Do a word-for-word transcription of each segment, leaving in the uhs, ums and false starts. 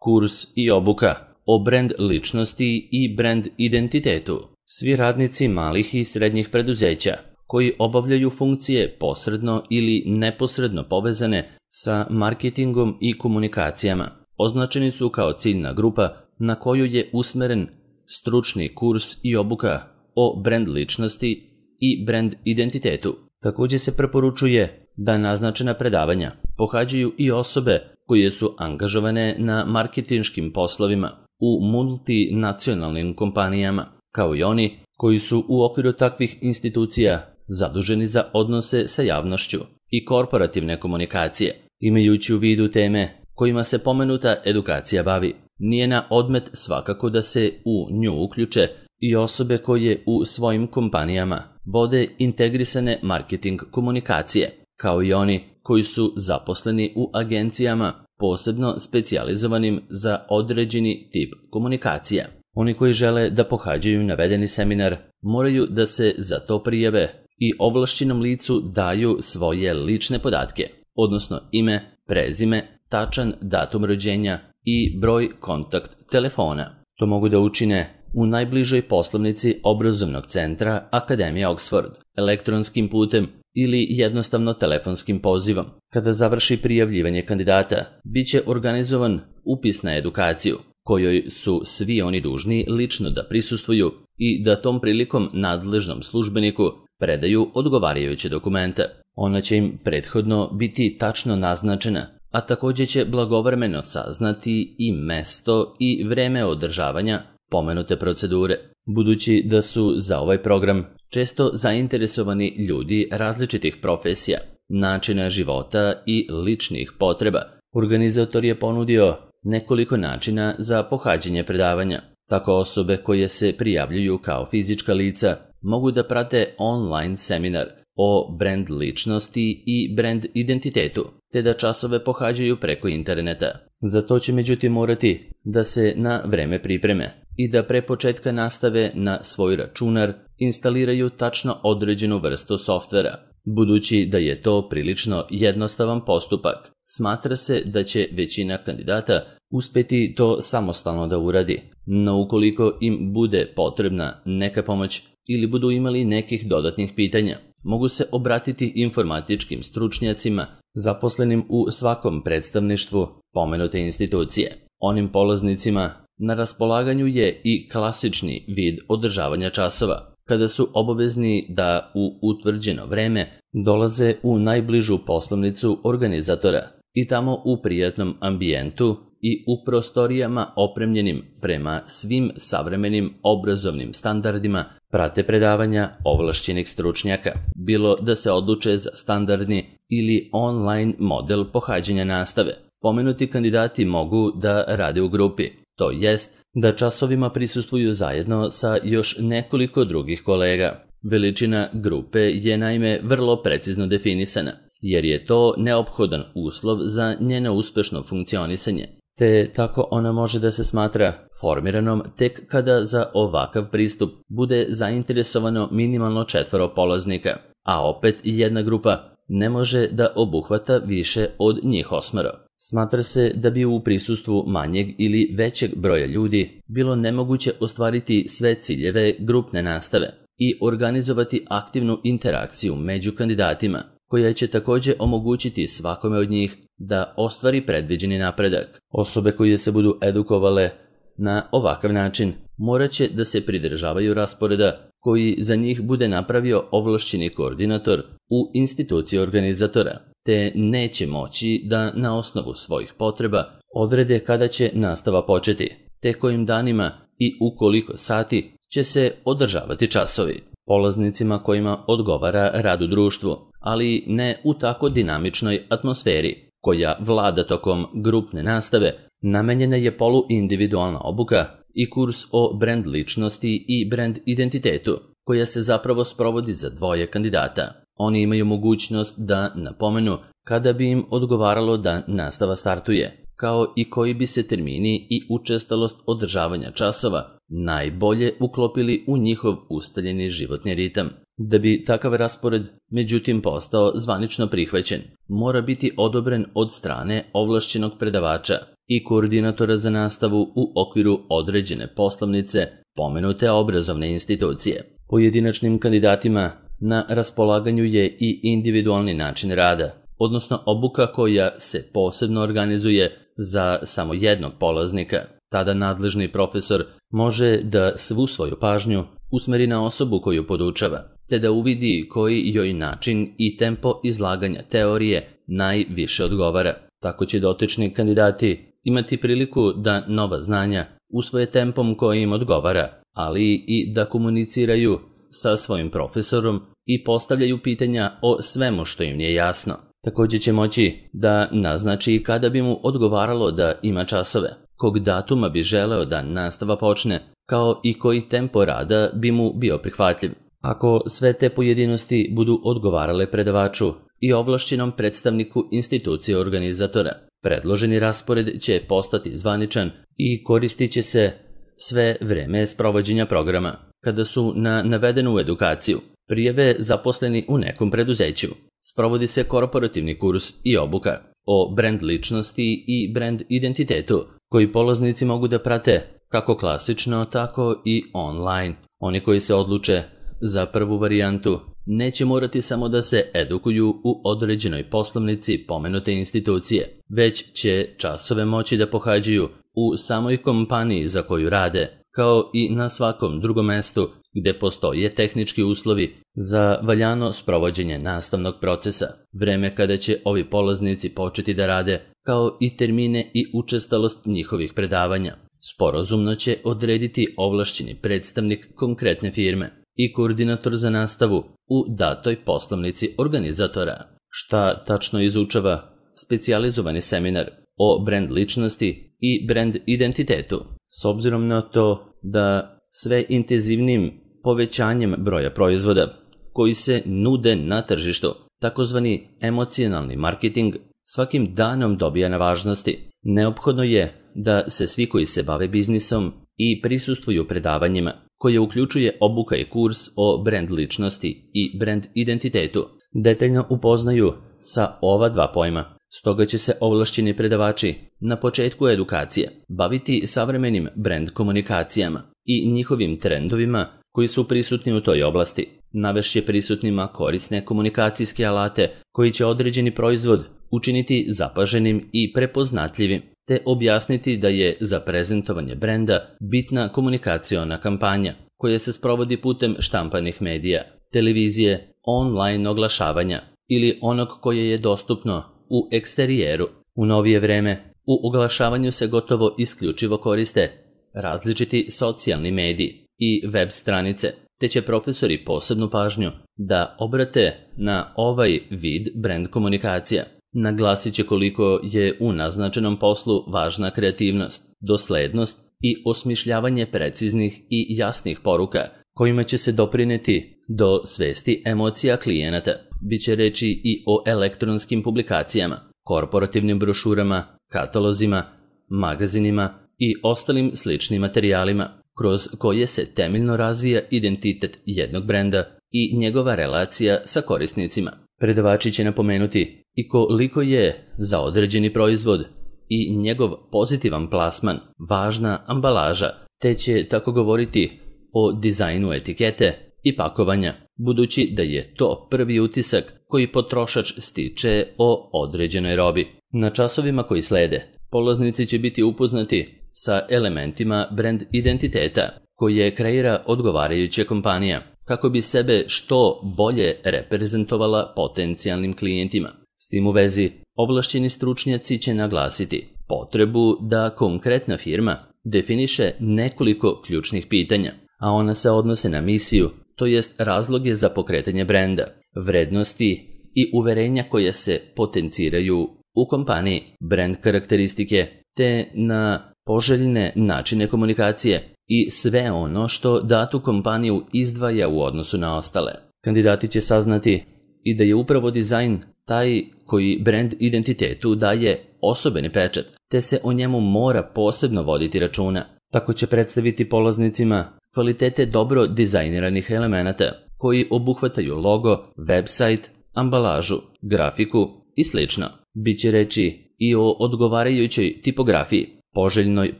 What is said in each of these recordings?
kurs i obuka o brand ličnosti i brand identitetu. Svi radnici malih i srednjih preduzeća koji obavljaju funkcije posredno ili neposredno povezane sa marketingom i komunikacijama označeni su kao ciljna grupa na koju je usmeren stručni kurs i obuka o brand ličnosti i brand identitetu. Također se preporučuje da naznačena predavanja pohađaju i osobe koje su angažovane na marketinškim poslovima u multinacionalnim kompanijama, kao i oni koji su u okviru takvih institucija zaduženi za odnose sa javnošću i korporativne komunikacije. Imajući u vidu teme kojima se pomenuta edukacija bavi, nije na odmet svakako da se u nju uključe i osobe koje u svojim kompanijama vode integrisane marketing komunikacije, kao i oni koji su zaposleni u agencijama posebno specijalizovanim za određeni tip komunikacija. Oni koji žele da pohađaju navedeni seminar moraju da se za to prijave i ovlašćenom licu daju svoje lične podatke, odnosno ime, prezime, tačan datum rođenja i broj kontakt telefona. To mogu da učine u najbližoj poslovnici obrazovnog centra Akademija Oxford, elektronskim putem ili jednostavno telefonskim pozivom. Kada završi prijavljivanje kandidata, bit će organizovan upis na edukaciju, kojoj su svi oni dužni lično da prisustvuju i da tom prilikom nadležnom službeniku predaju odgovarajuće dokumente. Ona će im prethodno biti tačno naznačena, a također će blagovremeno saznati i mesto i vreme održavanja pomenute procedure. Budući da su za ovaj program često zainteresovani ljudi različitih profesija, načina života i ličnih potreba, organizator je ponudio nekoliko načina za pohađanje predavanja. Tako osobe koje se prijavljuju kao fizička lica mogu da prate online seminar o brand ličnosti i brand identitetu, te da časove pohađaju preko interneta. Za to će međutim morati da se na vreme pripreme i da pre početka nastave na svoj računar instaliraju tačno određenu vrstu softvera. Budući da je to prilično jednostavan postupak, smatra se da će većina kandidata uspeti to samostalno da uradi, no ukoliko im bude potrebna neka pomoć ili budu imali nekih dodatnih pitanja, mogu se obratiti informatičkim stručnjacima zaposlenim u svakom predstavništvu pomenute institucije. Onim polaznicima na raspolaganju je i klasični vid održavanja časova, kada su obavezni da u utvrđeno vreme dolaze u najbližu poslovnicu organizatora i tamo u prijatnom ambijentu i u prostorijama opremljenim prema svim savremenim obrazovnim standardima prate predavanja ovlašćenih stručnjaka, bilo da se odluče za standardni ili online model pohađanja nastave. Pomenuti kandidati mogu da rade u grupi, to jest da časovima prisustvuju zajedno sa još nekoliko drugih kolega. Veličina grupe je naime vrlo precizno definisana, jer je to neophodan uslov za njeno uspešno funkcionisanje, te tako ona može da se smatra formiranom tek kada za ovakav pristup bude zainteresovano minimalno četvoro polaznika, a opet jedna grupa ne može da obuhvata više od njih osmero. Smatra se da bi u prisustvu manjeg ili većeg broja ljudi bilo nemoguće ostvariti sve ciljeve grupne nastave i organizovati aktivnu interakciju među kandidatima, koja će također omogućiti svakome od njih da ostvari predviđeni napredak. Osobe koje se budu edukovale na ovakav način morat će da se pridržavaju rasporeda koji za njih bude napravio ovlašćeni koordinator u instituciji organizatora, te neće moći da na osnovu svojih potreba odrede kada će nastava početi, te kojim danima i u koliko sati će se održavati časovi. Polaznicima kojima odgovara rad u društvu, ali ne u tako dinamičnoj atmosferi koja vlada tokom grupne nastave, namenjena je poluindividualna obuka i kurs o brand ličnosti i brand identitetu, koja se zapravo sprovodi za dvoje kandidata. Oni imaju mogućnost da napomenu kada bi im odgovaralo da nastava startuje, kao i koji bi se termini i učestalost održavanja časova najbolje uklopili u njihov ustaljeni životni ritam. Da bi takav raspored, međutim, postao zvanično prihvaćen, mora biti odobren od strane ovlašćenog predavača i koordinatora za nastavu u okviru određene poslovnice pomenute obrazovne institucije. Pojedinačnim kandidatima na raspolaganju je i individualni način rada, odnosno obuka koja se posebno organizuje za samo jednog polaznika. Tada nadležni profesor može da svu svoju pažnju usmeri na osobu koju podučava, te da uvidi koji joj način i tempo izlaganja teorije najviše odgovara. Tako će dotični kandidati imati priliku da nova znanja usvoje tempom koji im odgovara, ali i da komuniciraju sa svojim profesorom i postavljaju pitanja o svemu što im nije jasno. Također će moći da naznači kada bi mu odgovaralo da ima časove, kog datuma bi želeo da nastava počne, kao i koji tempo rada bi mu bio prihvatljiv. Ako sve te pojedinosti budu odgovarale predavaču i ovlašćenom predstavniku institucije organizatora, predloženi raspored će postati zvaničan i koristit će se sve vreme sprovođenja programa. Kada su na navedenu edukaciju prijave zaposleni u nekom preduzeću, sprovodi se korporativni kurs i obuka o brand ličnosti i brand identitetu, koji polaznici mogu da prate kako klasično, tako i online. Oni koji se odluče za prvu varijantu neće morati samo da se edukuju u određenoj poslovnici pomenute institucije, već će časove moći da pohađaju u samoj kompaniji za koju rade, kao i na svakom drugom mestu gde postoje tehnički uslovi za valjano sprovođenje nastavnog procesa, vreme kada će ovi polaznici početi da rade, kao i termine i učestalost njihovih predavanja. Sporazumno će odrediti ovlašćeni predstavnik konkretne firme i koordinator za nastavu u datoj poslovnici organizatora. Šta tačno izučava specijalizovani seminar o brand ličnosti i brand identitetu? S obzirom na to da sve intenzivnim povećanjem broja proizvoda koji se nude na tržištu, takozvani emocionalni marketing, svakim danom dobija na važnosti, neophodno je da se svi koji se bave biznisom i prisustvuju predavanjima, koje uključuje obuka i kurs o brand ličnosti i brand identitetu, detaljno upoznaju sa ova dva pojma. Stoga će se ovlašćeni predavači na početku edukacije baviti savremenim brand komunikacijama i njihovim trendovima koji su prisutni u toj oblasti. Navešće prisutnima korisne komunikacijske alate koji će određeni proizvod učiniti zapaženim i prepoznatljivim, te objasniti da je za prezentovanje brenda bitna komunikaciona kampanja koja se sprovodi putem štampanih medija, televizije, online oglašavanja ili onog koje je dostupno u eksterijeru. U novije vreme u oglašavanju se gotovo isključivo koriste različiti socijalni mediji i web stranice, te će profesori posebnu pažnju da obrate na ovaj vid brand komunikacija. Naglasit će koliko je u naznačenom poslu važna kreativnost, doslednost i osmišljavanje preciznih i jasnih poruka kojima će se doprineti do svesti emocija klijenata. Biće reči i o elektronskim publikacijama, korporativnim brošurama, katalozima, magazinima i ostalim sličnim materijalima, kroz koje se temeljno razvija identitet jednog brenda i njegova relacija sa korisnicima. Predavači će napomenuti i koliko je za određeni proizvod i njegov pozitivan plasman važna ambalaža, te će tako govoriti o dizajnu etikete i pakovanja, budući da je to prvi utisak koji potrošač stiče o određenoj robi. Na časovima koji slede, polaznici će biti upoznati sa elementima brand identiteta koje kreira odgovarajuća kompanija, kako bi sebe što bolje reprezentovala potencijalnim klijentima. S tim u vezi, ovlašćeni stručnjaci će naglasiti potrebu da konkretna firma definiše nekoliko ključnih pitanja, a ona se odnose na misiju, to jest razloge za pokretanje brenda, vrednosti i uverenja koje se potenciraju u kompaniji, brand karakteristike, te na poželjne načine komunikacije i sve ono što datu kompaniju izdvaja u odnosu na ostale. Kandidati će saznati i da je upravo dizajn taj koji brand identitetu daje osobeni pečat, te se o njemu mora posebno voditi računa. Tako će predstaviti polaznicima kvalitete dobro dizajniranih elemenata koji obuhvataju logo, website, ambalažu, grafiku i slično. Biće reči i o odgovarajućoj tipografiji, poželjnoj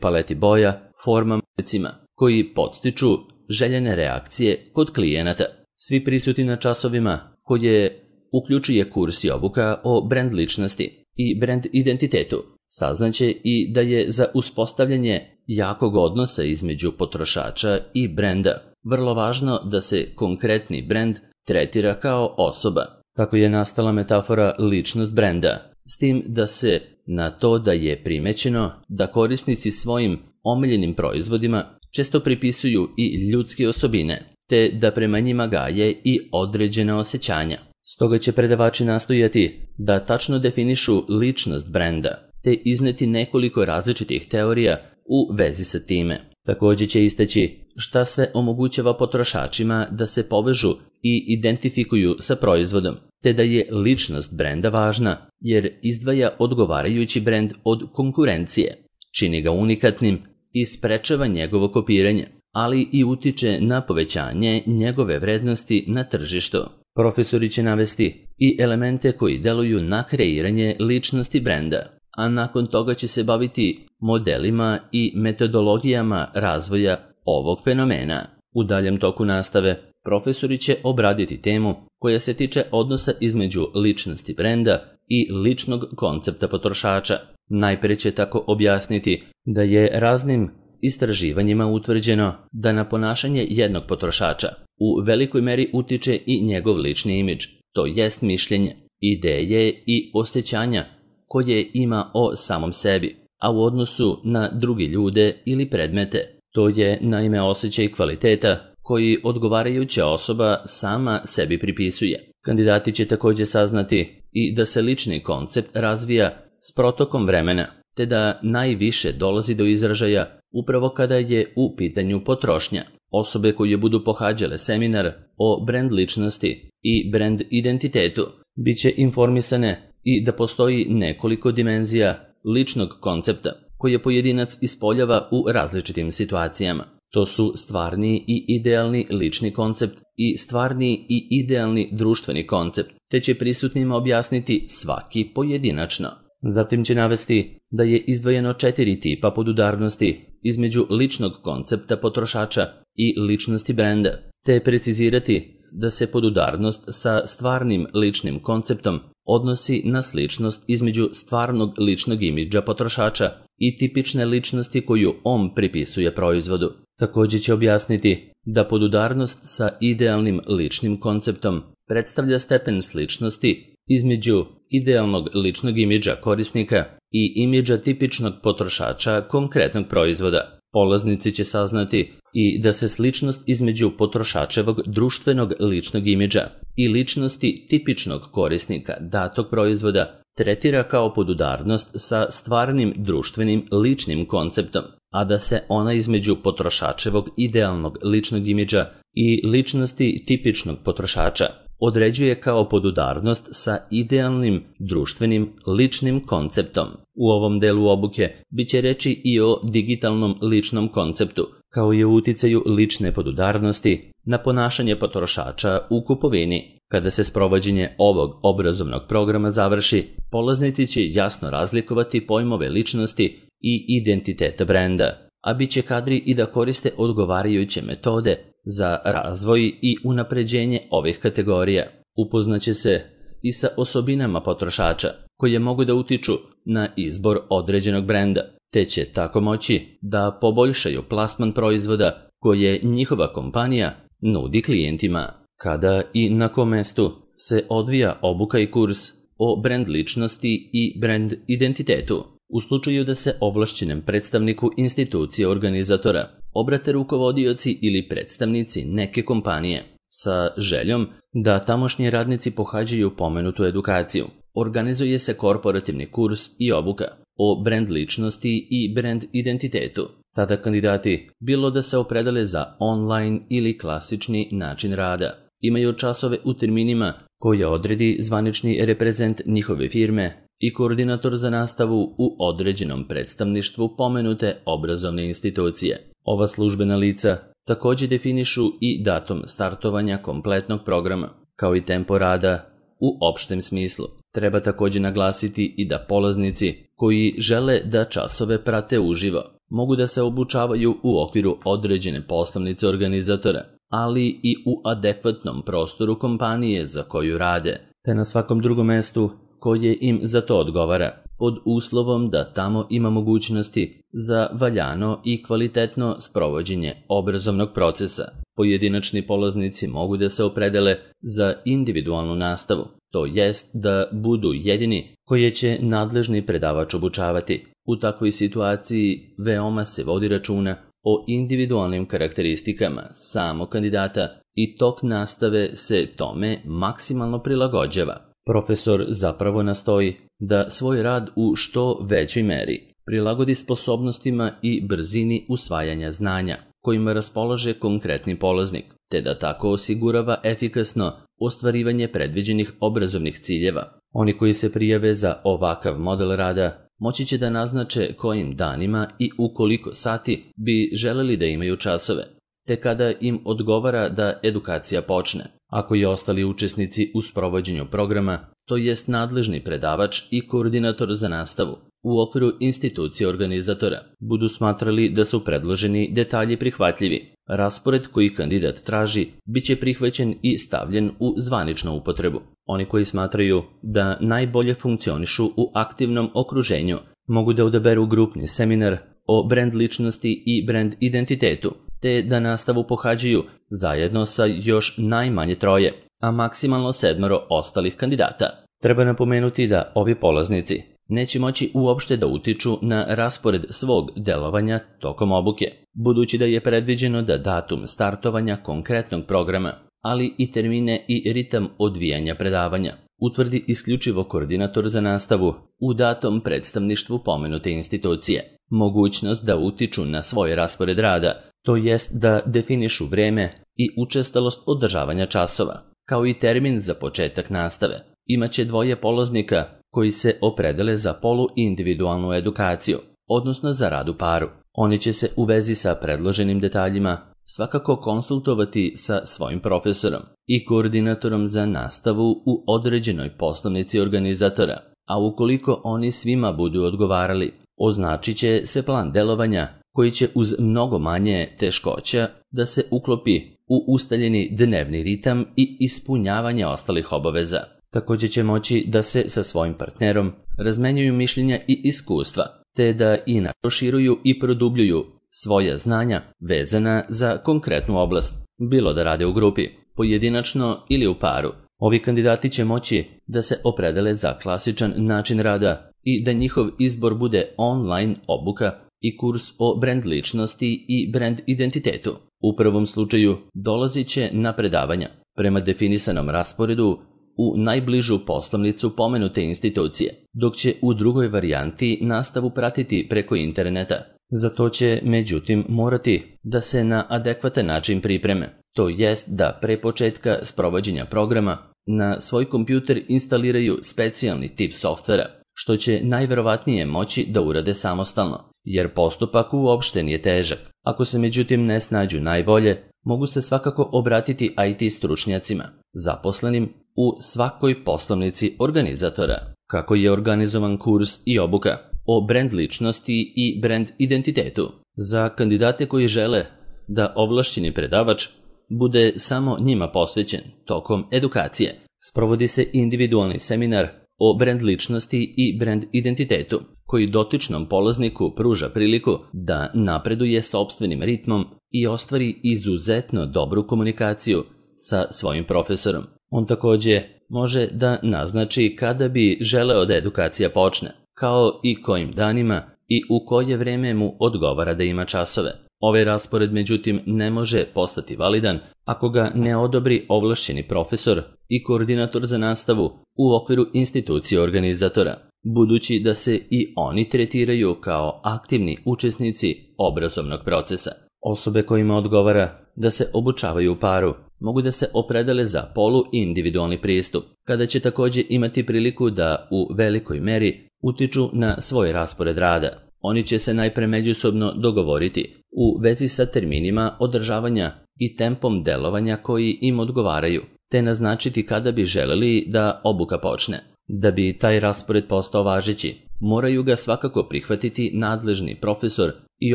paleti boja, formama, recima, koji podstiču željene reakcije kod klijenata. Svi prisutni na časovima koje uključuje kurs i obuka o brand ličnosti i brand identitetu saznaće i da je za uspostavljanje jakog odnosa između potrošača i brenda vrlo važno da se konkretni brend tretira kao osoba. Tako je nastala metafora ličnost brenda, s tim da se na to da je primećeno da korisnici svojim omiljenim proizvodima često pripisuju i ljudske osobine, te da prema njima gaje i određena osjećanja. Stoga će predavači nastojati da tačno definišu ličnost brenda, te izneti nekoliko različitih teorija u vezi sa time. Također će istaći šta sve omogućava potrošačima da se povežu i identifikuju sa proizvodom, te da je ličnost brenda važna jer izdvaja odgovarajući brend od konkurencije, čini ga unikatnim i sprečava njegovo kopiranje, ali i utiče na povećanje njegove vrednosti na tržištu. Profesori će navesti i elemente koji deluju na kreiranje ličnosti brenda, a nakon toga će se baviti modelima i metodologijama razvoja ovog fenomena. U daljem toku nastave profesori će obraditi temu koja se tiče odnosa između ličnosti brenda i ličnog koncepta potrošača. Najprije će tako objasniti da je raznim istraživanjima utvrđeno da na ponašanje jednog potrošača u velikoj meri utiče i njegov lični imidž, to jest mišljenje, ideje i osjećanja koje ima o samom sebi, a u odnosu na drugi ljude ili predmete. To je naime osjećaj kvaliteta koji odgovarajuća osoba sama sebi pripisuje. Kandidati će također saznati i da se lični koncept razvija s protokom vremena, te da najviše dolazi do izražaja upravo kada je u pitanju potrošnja. Osobe koje budu pohađale seminar o brand ličnosti i brand identitetu bit će informisane i da postoji nekoliko dimenzija ličnog koncepta koje pojedinac ispoljava u različitim situacijama. To su stvarni i idealni lični koncept i stvarni i idealni društveni koncept, te će prisutnima objasniti svaki pojedinačno. Zatim će navesti da je izdvojeno četiri tipa podudarnosti između ličnog koncepta potrošača i ličnosti brenda, te precizirati da se podudarnost sa stvarnim ličnim konceptom odnosi na sličnost između stvarnog ličnog imidža potrošača i tipične ličnosti koju on pripisuje proizvodu. Također će objasniti da podudarnost sa idealnim ličnim konceptom predstavlja stepen sličnosti između idealnog ličnog imidža korisnika i imidža tipičnog potrošača konkretnog proizvoda. Polaznici će saznati i da se sličnost između potrošačevog društvenog ličnog imidža i ličnosti tipičnog korisnika datog proizvoda tretira kao podudarnost sa stvarnim društvenim ličnim konceptom, a da se ona između potrošačevog idealnog ličnog imidža i ličnosti tipičnog potrošača određuje kao podudarnost sa idealnim društvenim ličnim konceptom. U ovom delu obuke bit će reći i o digitalnom ličnom konceptu, kao i o uticaju lične podudarnosti na ponašanje potrošača u kupovini. Kada se sprovođenje ovog obrazovnog programa završi, polaznici će jasno razlikovati pojmove ličnosti i identiteta brenda, a bit će kadri i da koriste odgovarajuće metode za razvoj i unapređenje ovih kategorija. Upoznaće se i sa osobinama potrošača koje mogu da utiču na izbor određenog brenda, te će tako moći da poboljšaju plasman proizvoda koje njihova kompanija nudi klijentima. Kada i na kom mestu se odvija obuka i kurs o brand ličnosti i brand identitetu? U slučaju da se ovlašćenom predstavniku institucije organizatora obrate rukovodioci ili predstavnici neke kompanije sa željom da tamošnji radnici pohađaju pomenutu edukaciju, organizuje se korporativni kurs i obuka o brand ličnosti i brand identitetu. Tada kandidati, bilo da se opredele za online ili klasični način rada, imaju časove u terminima koje odredi zvanični reprezent njihove firme i koordinator za nastavu u određenom predstavništvu pomenute obrazovne institucije. Ova službena lica također definišu i datum startovanja kompletnog programa, kao i tempo rada u opštem smislu. Treba također naglasiti i da polaznici koji žele da časove prate uživo mogu da se obučavaju u okviru određene poslovnice organizatora, ali i u adekvatnom prostoru kompanije za koju rade, te na svakom drugom mestu koje im za to odgovara, pod uslovom da tamo ima mogućnosti za valjano i kvalitetno sprovođenje obrazovnog procesa. Pojedinačni polaznici mogu da se opredele za individualnu nastavu, to jest da budu jedini koje će nadležni predavač obučavati. U takvoj situaciji veoma se vodi računa o individualnim karakteristikama samog kandidata i tok nastave se tome maksimalno prilagođava. Profesor zapravo nastoji da svoj rad u što većoj meri prilagodi sposobnostima i brzini usvajanja znanja kojima raspolaže konkretni polaznik, te da tako osigurava efikasno ostvarivanje predviđenih obrazovnih ciljeva. Oni koji se prijave za ovakav model rada moći će da naznače kojim danima i u koliko sati bi želeli da imaju časove, te kada im odgovara da edukacija počne. Ako i ostali učesnici u sprovođenju programa, to jest nadležni predavač i koordinator za nastavu, u okviru institucije organizatora, budu smatrali da su predloženi detalji prihvatljivi, raspored koji kandidat traži bit će prihvaćen i stavljen u zvaničnu upotrebu. Oni koji smatraju da najbolje funkcionišu u aktivnom okruženju mogu da odaberu grupni seminar o brand ličnosti i brand identitetu, te da nastavu pohađaju zajedno sa još najmanje troje, a maksimalno sedmoro ostalih kandidata. Treba napomenuti da ovi polaznici neće moći uopšte da utiču na raspored svog delovanja tokom obuke, budući da je predviđeno da datum startovanja konkretnog programa, ali i termine i ritam odvijanja predavanja utvrdi isključivo koordinator za nastavu u datom predstavništvu pomenute institucije. Mogućnost da utiču na svoj raspored rada, to jest da definišu vreme i učestalost održavanja časova, kao i termin za početak nastave, imaće dvoje polaznika koji se opredele za poluindividualnu edukaciju, odnosno za rad u paru. Oni će se u vezi sa predloženim detaljima svakako konsultovati sa svojim profesorom i koordinatorom za nastavu u određenoj poslovnici organizatora, a ukoliko oni svima budu odgovarali, označit će se plan delovanja koji će uz mnogo manje teškoća da se uklopi u ustaljeni dnevni ritam i ispunjavanje ostalih obaveza. Također će moći da se sa svojim partnerom razmenjuju mišljenja i iskustva, te da i proširuju i produbljuju svoja znanja vezana za konkretnu oblast, bilo da rade u grupi, pojedinačno ili u paru. Ovi kandidati će moći da se opredele za klasičan način rada i da njihov izbor bude online obuka i kurs o brand ličnosti i brand identitetu. U prvom slučaju dolazit će na predavanja prema definisanom rasporedu u najbližu poslovnicu pomenute institucije, dok će u drugoj varijanti nastavu pratiti preko interneta. Za to će, međutim, morati da se na adekvatan način pripreme, to jest da pre početka sprovođenja programa na svoj kompjuter instaliraju specijalni tip softvera, što će najverovatnije moći da urade samostalno, jer postupak uopšte nije težak. Ako se međutim ne snađu najbolje, mogu se svakako obratiti I T stručnjacima, zaposlenim u svakoj poslovnici organizatora. Kako je organizovan kurs i obuka o brand ličnosti i brand identitetu za kandidate koji žele da ovlašćeni predavač bude samo njima posvećen tokom edukacije. Sprovodi se individualni seminar o brand ličnosti i brand identitetu, koji dotičnom polazniku pruža priliku da napreduje sopstvenim ritmom i ostvari izuzetno dobru komunikaciju sa svojim profesorom. On također može da naznači kada bi želeo da edukacija počne, kao i kojim danima i u koje vreme mu odgovara da ima časove. Ovaj raspored međutim ne može postati validan ako ga ne odobri ovlašćeni profesor i koordinator za nastavu u okviru institucije organizatora, budući da se i oni tretiraju kao aktivni učesnici obrazovnog procesa. Osobe kojima odgovara da se obučavaju u paru mogu da se opredele za polu-individualni pristup, kada će također imati priliku da u velikoj meri utiču na svoj raspored rada. Oni će se najpre međusobno dogovoriti u vezi sa terminima održavanja i tempom delovanja koji im odgovaraju, te naznačiti kada bi želeli da obuka počne. Da bi taj raspored postao važeći, moraju ga svakako prihvatiti nadležni profesor i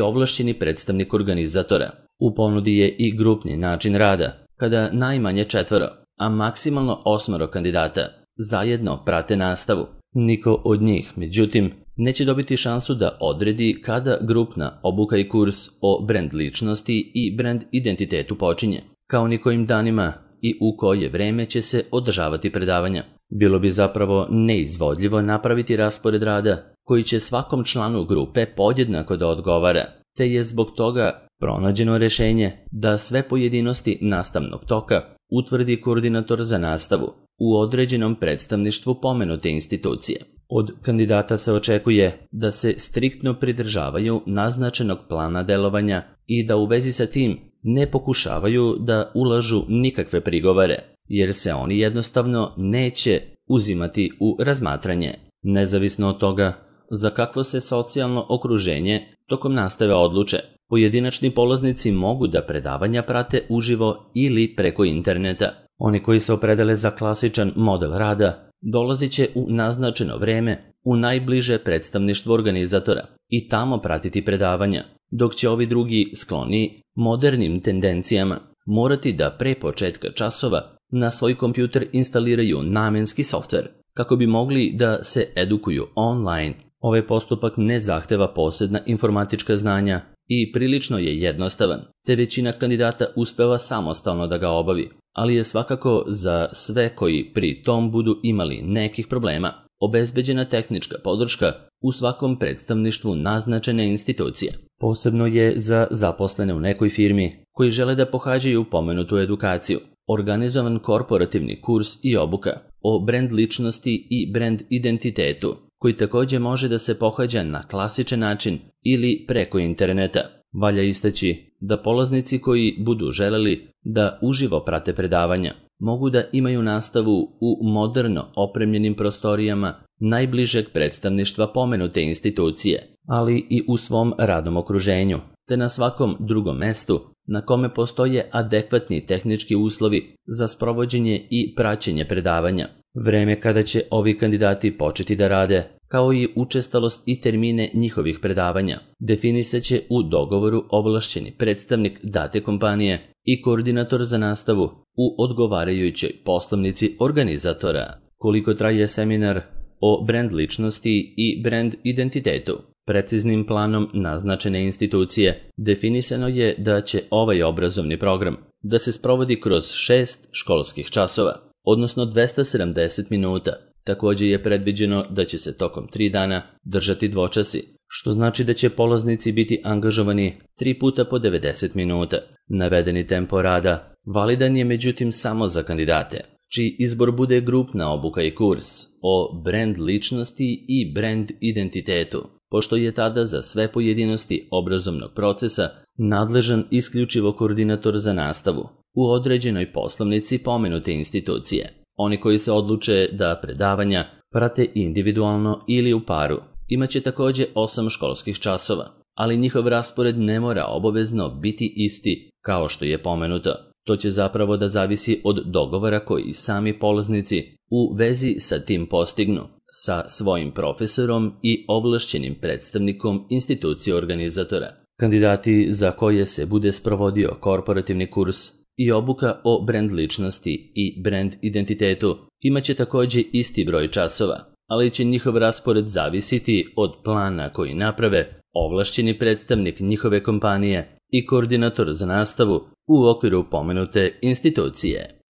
ovlašćeni predstavnik organizatora. U ponudi je i grupni način rada, kada najmanje četvoro, a maksimalno osmoro kandidata zajedno prate nastavu. Niko od njih, međutim, neće dobiti šansu da odredi kada grupna obuka i kurs o brand ličnosti i brand identitetu počinje, kao ni kojim danima i u koje vreme će se održavati predavanja. Bilo bi zapravo neizvodljivo napraviti raspored rada koji će svakom članu grupe podjednako da odgovara, te je zbog toga pronađeno rješenje da sve pojedinosti nastavnog toka utvrdi koordinator za nastavu u određenom predstavništvu pomenute institucije. Od kandidata se očekuje da se striktno pridržavaju naznačenog plana delovanja i da u vezi sa tim ne pokušavaju da ulažu nikakve prigovore, jer se oni jednostavno neće uzimati u razmatranje, nezavisno od toga za kakvo se socijalno okruženje tokom nastave odluče. Pojedinačni polaznici mogu da predavanja prate uživo ili preko interneta. Oni koji se opredele za klasičan model rada dolazit će u naznačeno vreme u najbliže predstavništvo organizatora i tamo pratiti predavanja, dok će ovi drugi skloni modernim tendencijama morati da pre početka časova na svoj kompjuter instaliraju namenski softver kako bi mogli da se edukuju online. Ovaj postupak ne zahteva posebna informatička znanja i prilično je jednostavan, te većina kandidata uspeva samostalno da ga obavi, ali je svakako za sve koji pri tom budu imali nekih problema obezbeđena tehnička podrška u svakom predstavništvu naznačene institucije. Posebno je za zaposlene u nekoj firmi koji žele da pohađaju pomenutu edukaciju organizovan korporativni kurs i obuka o brand ličnosti i brand identitetu, koji također može da se pohađa na klasičan način ili preko interneta. Valja istaći da polaznici koji budu želeli da uživo prate predavanja mogu da imaju nastavu u moderno opremljenim prostorijama najbližeg predstavništva pomenute institucije, ali i u svom radnom okruženju, te na svakom drugom mestu na kome postoje adekvatni tehnički uslovi za sprovođenje i praćenje predavanja. Vreme kada će ovi kandidati početi da rade, kao i učestalost i termine njihovih predavanja, definisat će u dogovoru ovlašćeni predstavnik date kompanije i koordinator za nastavu u odgovarajućoj poslovnici organizatora. Koliko traje seminar o brand ličnosti i brand identitetu? Preciznim planom naznačene institucije definisano je da će ovaj obrazovni program da se sprovodi kroz šest školskih časova, odnosno dvesta sedamdeset minuta. Također je predviđeno da će se tokom tri dana držati dvočasi, što znači da će polaznici biti angažovani tri puta po devedeset minuta. Navedeni tempo rada validan je međutim samo za kandidate čiji izbor bude grupna obuka i kurs o brand ličnosti i brand identitetu, pošto je tada za sve pojedinosti obrazovnog procesa nadležan isključivo koordinator za nastavu u određenoj poslovnici pomenute institucije. Oni koji se odluče da predavanja prate individualno ili u paru imaće također osam školskih časova, ali njihov raspored ne mora obavezno biti isti kao što je pomenuto. To će zapravo da zavisi od dogovora koji sami polaznici u vezi sa tim postignu sa svojim profesorom i ovlašćenim predstavnikom institucije organizatora. Kandidati za koje se bude sprovodio korporativni kurs i obuka o brand ličnosti i brand identitetu imaće također isti broj časova, ali će njihov raspored zavisiti od plana koji naprave ovlašćeni predstavnik njihove kompanije i koordinator za nastavu u okviru pomenute institucije.